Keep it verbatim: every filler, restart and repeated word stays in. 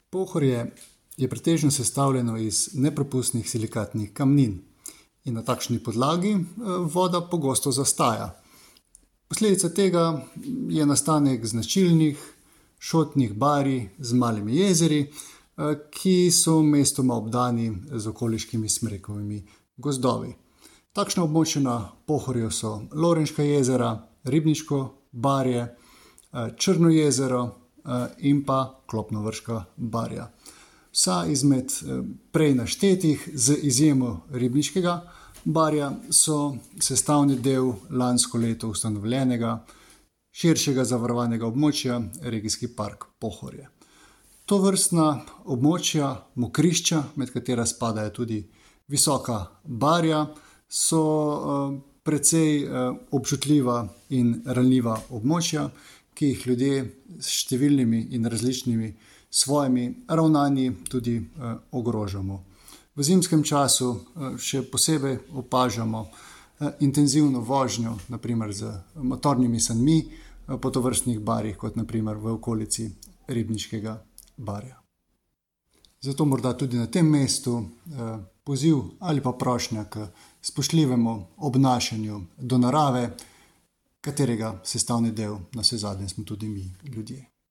Pohorje je pretežno sestavljeno iz nepropustnih silikatnih kamnin in na takšni podlagi voda pogosto zastaja. Posledica tega je nastanek značilnih šotnih barij z malimi jezeri, ki so mestoma obdani z okoliškimi smrekovimi gozdovi. Takšna območja na Pohorju so Lorenška jezera, Ribniško barje, Črno jezero in pa Klopnovrška barja. Vsa izmed prej naštetih, z izjemo Ribniškega barja, so sestavni del lansko leto ustanovljenega širšega zavarovanega območja Regijski park Pohorje. Tovrstna območja, mokrišča, med katera spadajo tudi Visoka barja, so precej občutljiva in ranljiva območja, ki jih ljudje s številnimi in različnimi svojimi ravnanji tudi ogrožamo. V zimskem času še posebej opažamo intenzivno vožnjo, na primer z motornimi sanmi po tovrstnih barjih, kot na primer v okolici Ribniškega barja. Zato morda tudi na tem mestu poziv ali pa prošnja k spoštljivemu obnašanju do narave, katerega sestavni del navsezadnje smo tudi mi, ljudje.